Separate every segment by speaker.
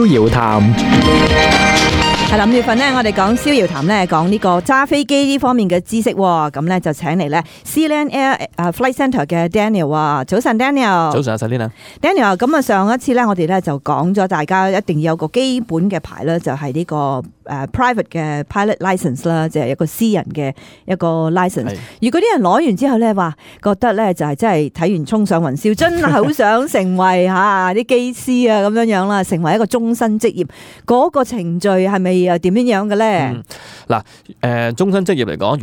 Speaker 1: 遙談。
Speaker 2: 係啦，5月份咧，我哋講逍遙談咧，講呢個揸飛機呢方面嘅知識喎。咁咧就請嚟咧 Sealand Air Flight Centre 嘅 Daniel 啊，早晨 Daniel。
Speaker 3: 早晨啊 Selina。Daniel，
Speaker 2: 咁啊上一次咧，我哋咧就講咗大家一定要有個基本嘅牌咧，就係呢個private 嘅 pilot license 啦，即係一個私人嘅一個 license。如果啲人攞完之後咧，話覺得咧就係真係睇完衝上雲霄，真係好想成為嚇啲機師啊咁樣啦，成為一個終身職業。嗰個程序係咪又點樣嘅咧？
Speaker 3: 嗱，終身職業嚟講，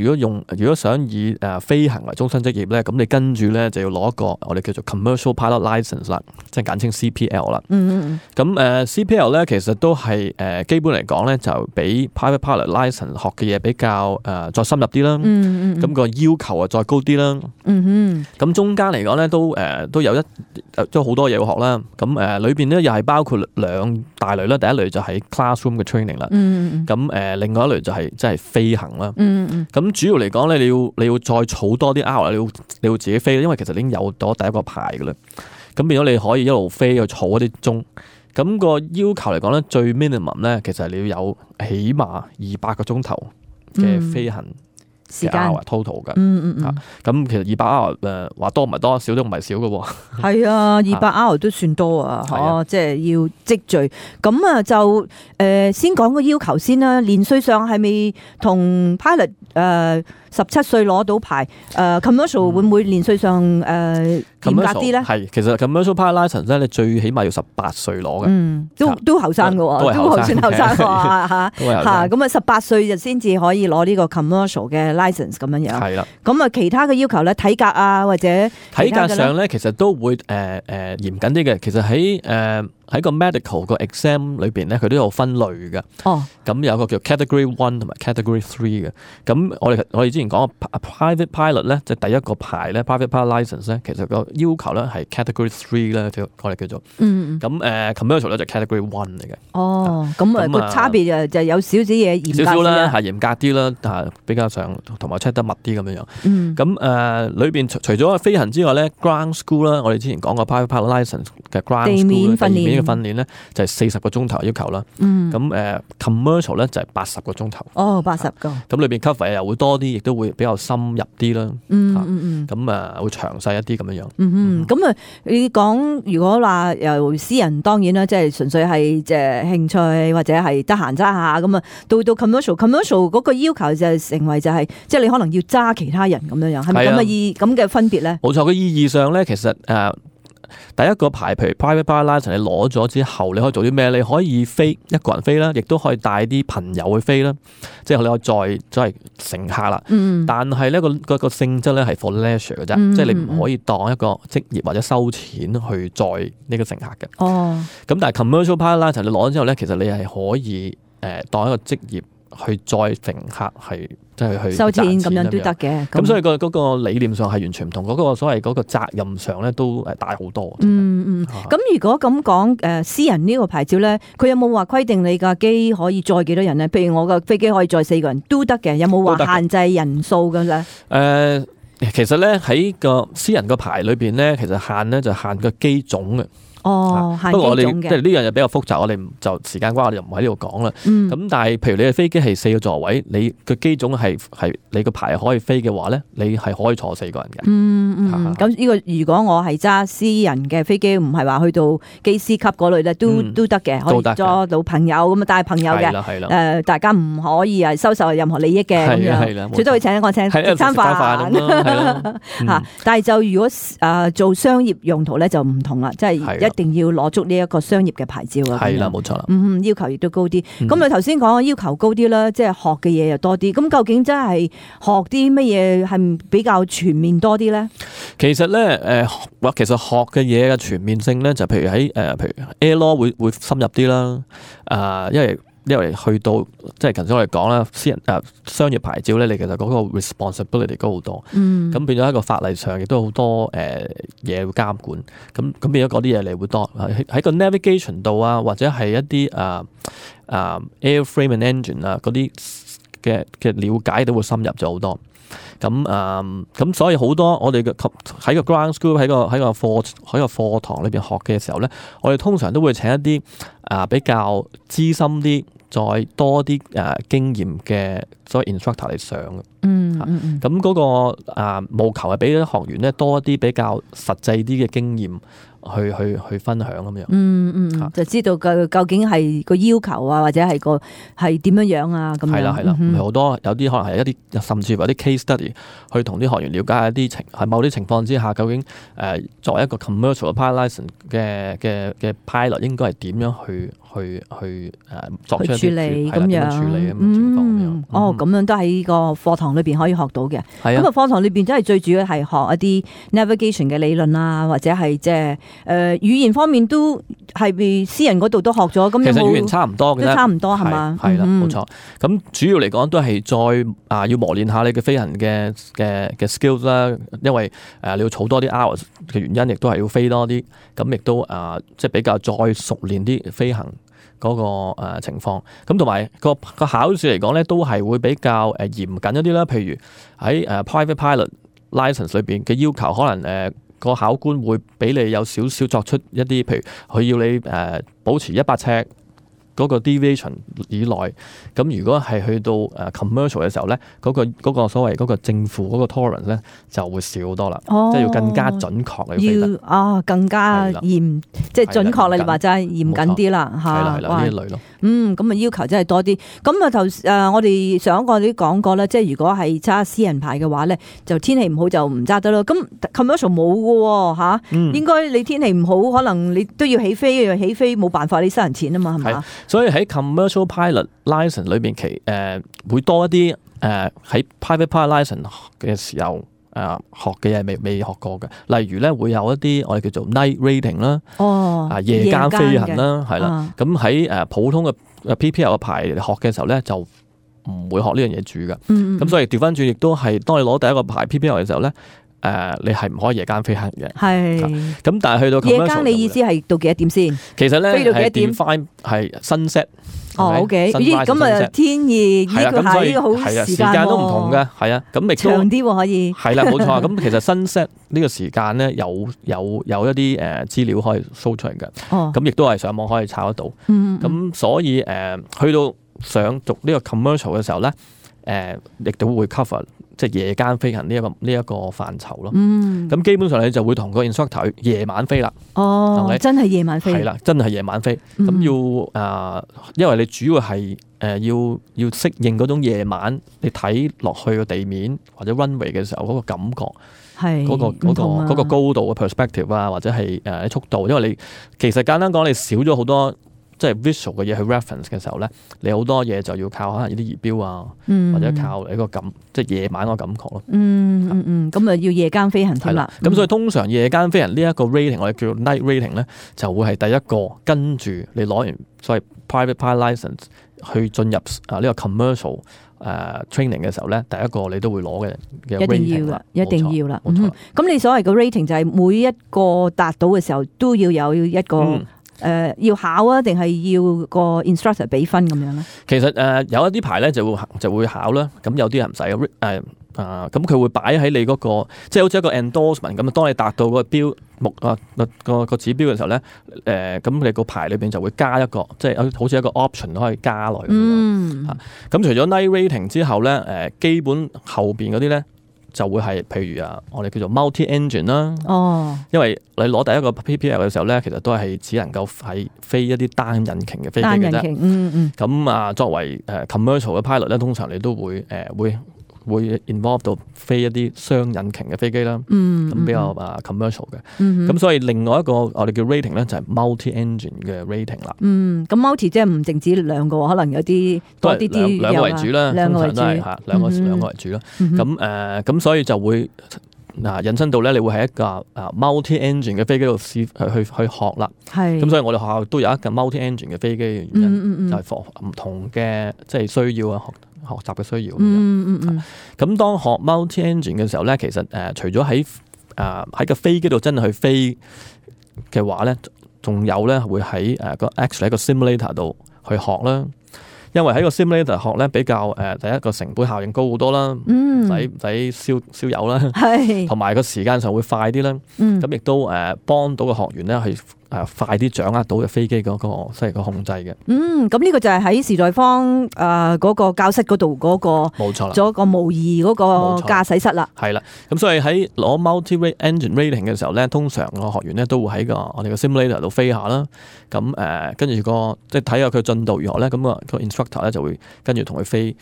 Speaker 3: 如果想以飛行為終身職業咧，咁你跟住咧就要攞一個我哋叫做 commercial pilot license 啦，即係簡稱 CPL 啦。咁CPL 咧其實都係基本嚟講咧就比 private pilot license 學嘅嘢比較再深入啲啦。咁個要求啊再高啲啦。咁中間嚟講咧都有都好多嘢要學啦。咁裏邊咧又係包括兩大類啦。第一類就係 classroom 嘅 training 啦。咁另外一類就係即係飛行啦。咁主要嚟講咧，你要再儲多啲 hour， 你要自己飛，因為其實你已經有咗第一個牌噶啦。咁變咗你可以一路飛去儲一啲鐘。咁個要求嚟講咧，最 minimum 咧，其實你要有起碼200個鐘頭嘅飛行時間 total 嘅。咁其實200 hour 話多唔係多，少都唔係少嘅喎。係
Speaker 2: 啊，200 hour 都算多啊，即係要積聚。咁啊就先講個要求先啦。年歲上係咪同 pilot 17歲攞到牌？commercial 會唔會年歲上嚴格啲咧？
Speaker 3: 係，其實 commercial pilot license 咧，你最起碼要18歲攞嘅。
Speaker 2: 都後生嘅喎，都算後生喎嚇。咁啊18歲就先至可以攞呢個 commercial 嘅 license 咁樣樣。係啦。咁啊其他嘅要求咧，體格啊或者
Speaker 3: 體格上咧，其實都會嚴謹啲嘅。其實喺個 medical 個 exam 裏邊咧，佢都有分類嘅。咁有個叫 category 1同埋 category 3嘅。咁我哋之前講個 private pilot 咧，即係第一個牌咧 private pilot license 咧，其實個要求咧係 category 3咧，我哋叫做。咁commercial 咧就 category 1嚟嘅。
Speaker 2: 咁個差別就有少少嘢嚴格啲
Speaker 3: 啦，係嚴格啲啦，但係比較上同埋 check 得密啲咁樣樣。咁裏邊除咗飛行之外咧 ，ground school 啦，我哋之前講過 private pilot license 嘅 ground school 地面訓練咧就係40個鐘頭要求啦。咁commercial 咧就係80個鐘頭。
Speaker 2: 80個。咁
Speaker 3: 裏邊 cover 又會多啲，亦都會比較深入啲啦。咁會詳細一啲咁樣樣。
Speaker 2: 咁你講如果話由私人當然啦，即係純粹係即係興趣或者係得閒揸下咁啊，到 commercial 嗰個要求就成為就係即係你可能要揸其他人咁樣樣，係咪咁嘅分別咧？
Speaker 3: 冇錯，個意義上咧，其實第一個牌，譬如 private pilot license，你攞咗之後，你可以做啲咩？你可以飛一個人飛啦，亦都可以帶啲朋友去飛啦，即係你可以載乘客啦。但係咧個性質咧係 for leisure 嘅啫，即係你唔可以當一個職業或者收錢去載呢個乘客嘅。咁但係 commercial pilot license 你攞咗之後咧，其實你係可以當一個職業去載乘客係。即係去
Speaker 2: 收錢咁樣都得嘅，
Speaker 3: 咁所以嗰個理念上係完全唔同，嗰個所謂嗰個責任上咧都大好多。
Speaker 2: 咁如果咁講，私人呢個牌照咧，佢有冇話規定你架機可以載幾多人咧？譬如我個飛機可以載4個人都得嘅，有冇話限制人數嘅咧？
Speaker 3: 其實咧喺個私人個牌裏邊咧，其實就限個機種嘅。不過我哋即係呢樣嘢比較複雜，我哋就時間關係，我哋就唔喺呢度講啦。咁但係譬如你嘅飛機係4個座位，你個機種係你個牌可以飛嘅話咧，你係可以坐4個人嘅。
Speaker 2: 咁呢個如果我係揸私人嘅飛機，唔係話去到機師級嗰類咧，都得嘅，可以揸到朋友咁啊，帶朋友嘅。大家唔可以收受任何利益嘅咁樣，最多會請我請食餐飯。但係就如果做商業用途咧就唔同啦，即係一定要攞足呢一個商業嘅牌照啊！
Speaker 3: 係啦，冇錯啦。
Speaker 2: 要求亦都高啲。咁你頭先講要求高啲啦，即係學嘅嘢又多啲。咁究竟真係學啲乜嘢係比較全面多啲咧？
Speaker 3: 其實咧，其實學嘅嘢嘅全面性咧，就譬如喺譬如 Air Law 會深入啲啦。因為去到即係頭先我哋講啦，私人商業牌照咧，你其實嗰個 responsibility 高好多。咁變咗一個法例上亦都好多嘢要監管。咁變咗嗰啲嘢你會多喺個 navigation 度啊，或者係一啲airframe and engine 啊嗰啲嘅了解都會深入咗好多。咁所以好多我哋喺個 ground school 喺個課堂裏邊學嘅時候咧，我哋通常都會請一啲比較資深啲、再多啲經驗嘅所謂 instructor 嚟上嘅。咁嗰個務求係俾啲學員咧多一啲比較實際啲嘅經驗去分享咁樣。
Speaker 2: 就知道究竟係個要求啊，或者係係點樣啊咁樣。
Speaker 3: 係啦，唔係好多，有啲可能係一啲甚至乎有啲 case study 去同啲學員了解一啲喺某啲情況之下，究竟作為一個 commercial pilot license 嘅 pilot 應該係點樣去作出一啲
Speaker 2: 處理咁樣。咁樣都喺個課堂裏邊可以學到嘅。咁課堂裏邊真係最主要係學一啲 navigation 嘅理論啊，或者係即係語言方面都係私人嗰度都學咗。咁
Speaker 3: 其實語言差唔多嘅，
Speaker 2: 都差唔多係嘛？
Speaker 3: 係啦，冇錯。咁主要嚟講都係再要磨練下你嘅飛行嘅 skills 啦，因為你要儲多啲 hours 嘅原因，亦都係要飛多啲。咁亦都即係比較再熟練啲飛行嗰個情況，咁同埋個考試嚟講咧，都係會比較嚴謹一啲啦。譬如喺private pilot license 裏邊嘅要求，可能個考官會俾你有少少作出一啲，譬如佢要你保持100尺嗰個 deviation 以內。咁如果係去到commercial 嘅時候咧，嗰個所謂嗰個正負嗰個 tolerance 咧就會少多啦，即係要更加準確嚟飛得。
Speaker 2: 更加嚴，即係準確啦，你話齋嚴謹啲啦嚇。
Speaker 3: 係啦，呢一類咯。
Speaker 2: 咁要求真係多啲。咁我哋上一個都講過啦，即係如果係揸私人牌嘅話咧，就天氣唔好就唔揸得咯。咁 commercial 冇嘅喎嚇，應該你天氣唔好，可能你都要起飛冇辦法，你收人錢啊嘛，係嘛？
Speaker 3: 所以喺 commercial pilot license 裏邊會多一啲喺 private pilot license 嘅時候學嘅嘢未學過嘅，例如咧會有一啲我哋叫做 night rating 啦，夜間飛行啦，係啦。咁喺普通嘅 PPL 嘅牌學嘅時候咧，就唔會學呢樣嘢住嘅。咁所以調翻轉亦都係當你攞第一個牌 PPL 嘅時候咧，你係唔可以夜間飛行嘅。係。咁但係去到
Speaker 2: 夜間，你意思係到幾多點先？
Speaker 3: 其實咧
Speaker 2: 飛到幾多點
Speaker 3: ？define 係 sunset。
Speaker 2: OK，咁天意呢個係呢個好時間
Speaker 3: 都唔同嘅，係啊，咁亦都
Speaker 2: 長啲可以。
Speaker 3: 係啦，冇錯。咁其實 sunset 呢個時間咧有一啲資料可以 show 出嚟嘅，咁亦都係上網可以查得到。咁所以去到想讀呢個 commercial 嘅時候咧，亦都會 cover 即係夜間飛行呢一個範疇咯。咁基本上你就會同個 instructor 夜晚飛啦。
Speaker 2: 真係夜晚飛。
Speaker 3: 係啦，真係夜晚飛。咁因為你主要係要適應嗰種夜晚你睇落去個地面或者 runway 嘅時候嗰個感覺，係嗰個高度嘅 perspective 啊，或者係速度。因為你其實簡單講，你少咗好多即係 visual 嘅嘢去 reference 嘅時候咧，你好多嘢就要靠可能呢啲儀表啊，或者靠你個即係夜晚個感覺咯。
Speaker 2: 咁要夜間飛行添啦。
Speaker 3: 咁所以通常夜間飛行呢一個 rating，我哋叫 night rating 咧，就會係第一個跟住你攞完所謂 private pilot license 去進入呢個 commercial training 嘅時候咧，第一個你都會攞嘅 rating 啦，
Speaker 2: 一定要啦。咁你所謂嘅 rating 就係每一個達到嘅時候都要有一個。要考啊，定係要個 instructor 俾分咁樣咧？其實
Speaker 3: 有一啲牌咧就會考啦，咁有啲人唔使咁佢會擺喺你嗰個，即係好似一個 endorsement 咁啊。當你達到個標個指標嘅時候咧，咁你個牌裏邊就會加一個，即係好似一個 option 都可以加落去。咁除咗 night rating 之後咧，基本後邊嗰啲咧。就會係譬如我哋叫做 multi engine 啦。因為你攞第一個 PPL 嘅時候咧，其實都係只能夠係飛一啲單引擎嘅飛機嘅啫。咁作為commercial 嘅 pilot 咧，通常你都會 involve 到飛一啲雙引擎嘅飛機啦。咁比較commercial 嘅。咁所以另外一個我哋叫 rating 咧，就係 multi engine 嘅 rating 啦。咁
Speaker 2: multi 即係唔淨止兩個，可能有啲多啲
Speaker 3: 兩個為主啦，
Speaker 2: 兩個為主，
Speaker 3: 兩個為主啦。咁所以就會引申到咧，你會喺一個multi engine 嘅飛機度試去學啦。咁所以我哋學校都有一架 multi engine 嘅飛機嘅原因，就係 for 唔同嘅即係需要啊，學習嘅需要。咁當學 multi engine 嘅時候咧，其實除咗喺個飛機度真係去飛嘅話咧，仲有咧會喺actually 一個 simulator 度去學啦。因為喺個 simulator 學咧比較第一個成本效應高好多啦，唔使燒油啦，同埋個時間上會快啲啦。咁亦都幫到個學員咧去快啲掌握到嘅飛機嗰個即係個控制嘅。
Speaker 2: 咁呢個就係喺時代坊嗰個教室嗰度嗰個
Speaker 3: 冇錯啦，
Speaker 2: 做一個模擬嗰個駕駛室啦。
Speaker 3: 係啦，咁所以喺攞 multi-rate engine rating 嘅時候咧，通常個學員咧都會喺我哋個 simulator 度飛下啦。咁跟住即係睇下佢進度如何咧，咁個 instructor 咧就會跟住同佢飛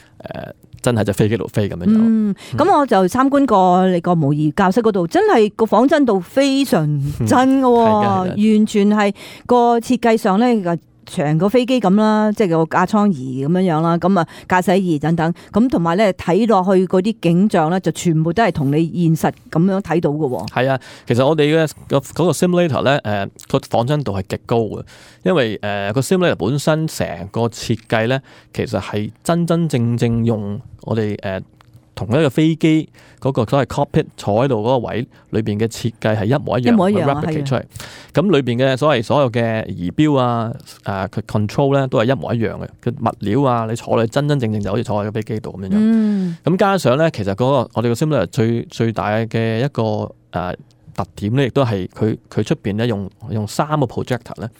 Speaker 3: 真係隻飛機度飛咁樣樣。
Speaker 2: 咁我就參觀過你個模擬教室嗰度，真係個仿真度非常真嘅，完全係個設計上咧，成個飛機咁啦，即係個架艙儀咁樣樣啦，咁啊駕駛儀等等，咁同埋咧睇落去嗰啲景象咧，就全部都係同你現實咁樣睇到嘅。係
Speaker 3: 啊，其實我哋嘅嗰個 simulator 咧，個仿真度係極高嘅，因為個 simulator 本身成個設計咧，其實係真真正正用我哋同一個飛機嗰個所謂 cockpit 坐喺度嗰個位裏邊嘅設計係一模一樣，replicate 出嚟。咁裏邊嘅所有嘅儀錶啊，佢 control 咧都係一模一樣嘅。佢物料啊，你坐你真真正正就好似坐喺個飛機度咁樣樣。咁加上咧，其實嗰個我哋個 simulator 最大嘅一個特點咧，亦都係佢出邊咧用3個 projector 咧，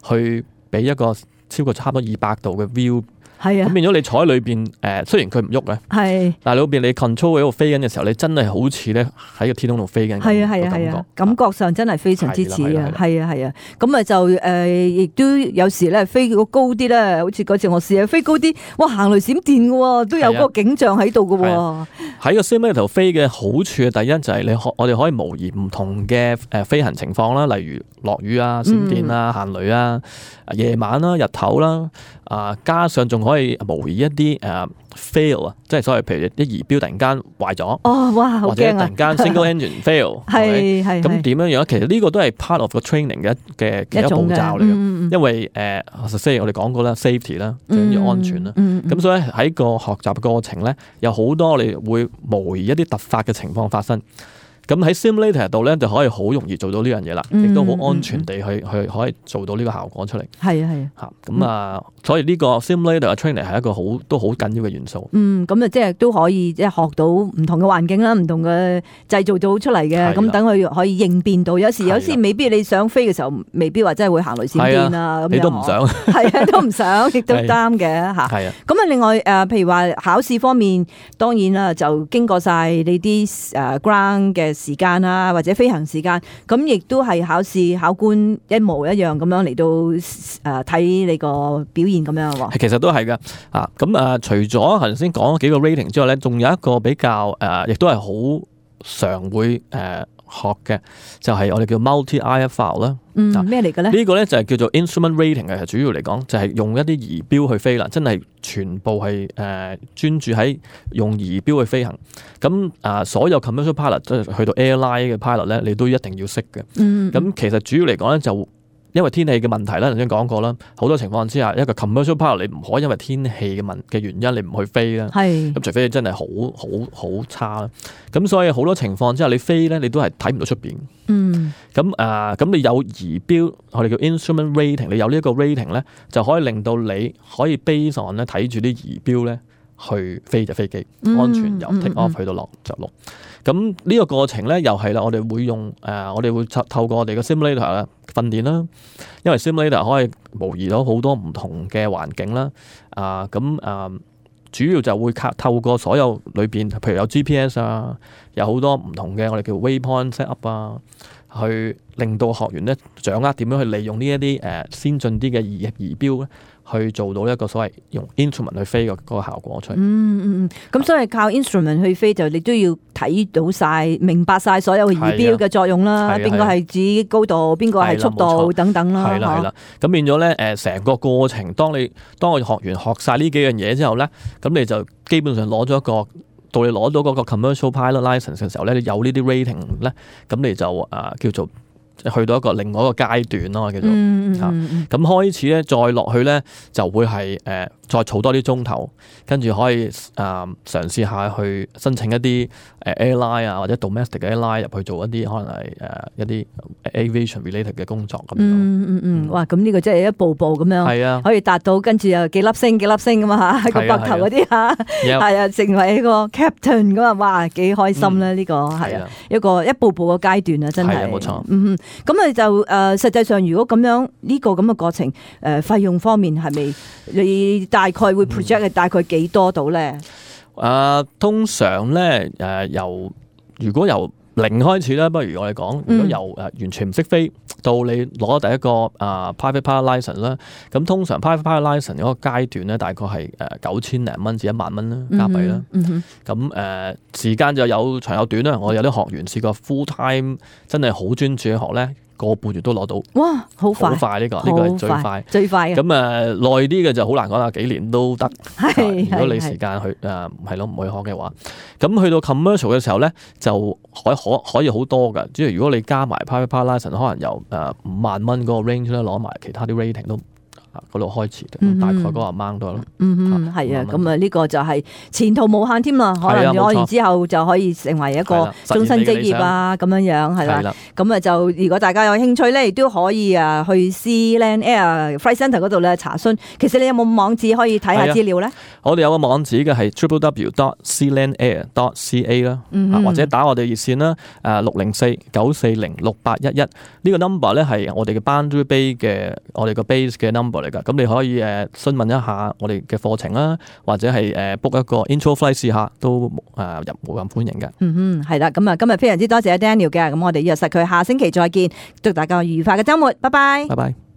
Speaker 3: 去俾一個超過差唔多200度嘅 view。係啊，咁變咗你坐喺裏邊，雖然佢唔喐嘅，但係裏邊你 control 喺度飛緊嘅時候，你真係好似咧喺個天空度飛緊。係啊，感覺上真係非常之似啊！係啊，咁啊就亦都有時咧飛到高啲咧，好似嗰次我試下飛高啲，哇行雷閃電嘅喎，都有嗰個景象喺度嘅喎。喺個 simulator 飛嘅好處嘅第一就係我哋可以模擬唔同嘅飛行情況啦，例如落雨啊、閃電啊、行雷啊、夜晚啦、日頭啦。加上仲可以模擬一啲fail 啊，即係所謂譬如啲儀錶突然間壞咗，或者突然間 single engine fail，咁點樣樣？其實呢個都係 part of 個 training 嘅一步驟嚟嘅，因為即係我哋講過啦 ，safety 啦，最緊要安全啦。咁所以喺個學習過程咧，有好多我哋會模擬一啲突發嘅情況發生。咁喺 simulator 度咧就可以好容易做到呢樣嘢啦，亦都好安全地去可以做到呢個效果出嚟。係啊，咁所以呢個 simulator 嘅 training 係一個都好緊要嘅元素。
Speaker 2: 咁即係都可以即係學到唔同嘅環境啦，唔同嘅製造到出嚟嘅。咁等佢可以應變到，有時未必你想飛嘅時候，未必話真係會行雷閃電啊。
Speaker 3: 你都唔想，
Speaker 2: 係啊，都唔想，亦都啱嘅嚇。係啊。咁另外譬如話考試方面，當然啦，就經過晒你啲ground 嘅時間啊，或者飛行時間，咁亦都係考官一模一樣咁樣嚟到睇你個表現咁樣喎。其
Speaker 3: 實都係噶除咗頭先講幾個 rating 之外咧，仲有一個比較亦都係好常會學嘅，就係我哋叫 multi-IFR 啦。
Speaker 2: 咩嚟嘅咧？
Speaker 3: 呢個咧就係叫做 instrument rating 嘅，主要嚟講就係用一啲儀錶去飛啦，真係全部係專注喺用儀錶去飛行。咁所有 commercial pilot 即係去到 airline 嘅 pilot 咧，你都一定要識嘅。咁其實主要嚟講咧就。因為天氣嘅問題啦，頭先講過啦，好多情況之下，一個 commercial pilot 你唔可以因為天氣嘅原因你唔去飛啦。咁除非你真係好差啦。咁所以好多情況之下，你飛咧你都係睇唔到出邊。咁你有儀錶，我哋叫 instrument rating， 你有呢一個 rating 咧，就可以令到你可以 base on 咧睇住啲儀錶咧去飛隻飛機，安全由 take off 去到着陸。咁呢個過程咧，又係啦，我哋會用我哋會透過我哋嘅 simulator 啦訓練啦，因為 simulator 可以模擬到好多唔同嘅環境啦。主要就會透過所有裏邊，譬如有 GPS 啊，有好多唔同嘅我哋叫 waypoint set up 啊，去令到學員咧掌握點樣去利用呢一啲先進啲嘅儀錶咧，去做到一個所謂用 instrument 去飛嘅嗰個效果出嚟。
Speaker 2: 咁所以靠 instrument 去飛，就你都要睇到晒、明白晒所有儀錶嘅作用啦。邊個係指高度，邊個係速度等等啦。係啦。咁變咗咧，成個過程，當個學員學晒呢幾樣嘢之後咧，咁你就基本上攞咗一個。到你攞到嗰個 commercial pilot license 嘅時候咧，你有呢啲 rating 咧，咁你就叫做去到另外一個階段咯，叫做咁開始咧，再落去咧就會係
Speaker 3: 再儲多啲鐘頭，跟住可以嘗試下去申請一啲airline 啊或者 domestic 嘅 airline 入去做一啲可能係一啲 aviation related 嘅工作咁樣。
Speaker 2: 哇！咁呢個真係一步步咁樣，
Speaker 3: 係啊，
Speaker 2: 可以達到跟住又幾粒星咁啊嚇，個膊頭嗰啲嚇，係啊，成為一個 captain 咁啊！哇，幾開心咧！呢個係啊，一個一步步嘅階段啊，真係
Speaker 3: 冇錯。
Speaker 2: 咁啊就實際上如果咁樣呢個咁嘅過程，費用方面係咪你大概會 project 係大概幾多到咧？
Speaker 3: 通常咧如果由零開始咧，不如我哋講，如果由完全唔識飛到你攞第一個private pilot license 啦，咁通常 private pilot license 嗰個階段咧，大概係9000零蚊至1萬蚊啦加幣啦。咁時間就有長有短啦。我有啲學員試過 full time 真係好專注去學咧，個半月都攞到。哇，好快！好快，呢個係最快嘅。咁耐啲嘅就好難講啦，幾年都得。如果你時間去係咯唔去學嘅話，咁去到 commercial 嘅時候咧，就可以好多㗎。即係如果你加埋 private pilot license，可能由5萬蚊嗰個 range 咧，攞埋其他啲 rating 都嗰度開始嘅，大概嗰個 amount 都係咯。
Speaker 2: 係啊，咁啊呢個就係前途無限添啦。可能攞完之後就可以成為一個終身職業啊，咁樣樣係啦。咁啊就如果大家有興趣咧，亦都可以去 Sealand Air Flight Centre 嗰度咧查詢。其實你有冇網址可以睇下資料咧？我哋有個網址嘅係 www.sealandair.ca 啦，或者打我哋熱線啦，604-940-6811。呢個 number 咧係我哋嘅 Boundary Bay 嘅我哋個 base 嘅 number 嚟㗎。咁你可以詢問一下我哋嘅課程啦，或者係book 一個 intro flight 試下都無任歡迎嘅。係啦，咁啊今日非常之多謝 Daniel 嘅，咁我哋約實佢下星期再見，祝大家愉快嘅週末，拜拜。拜拜。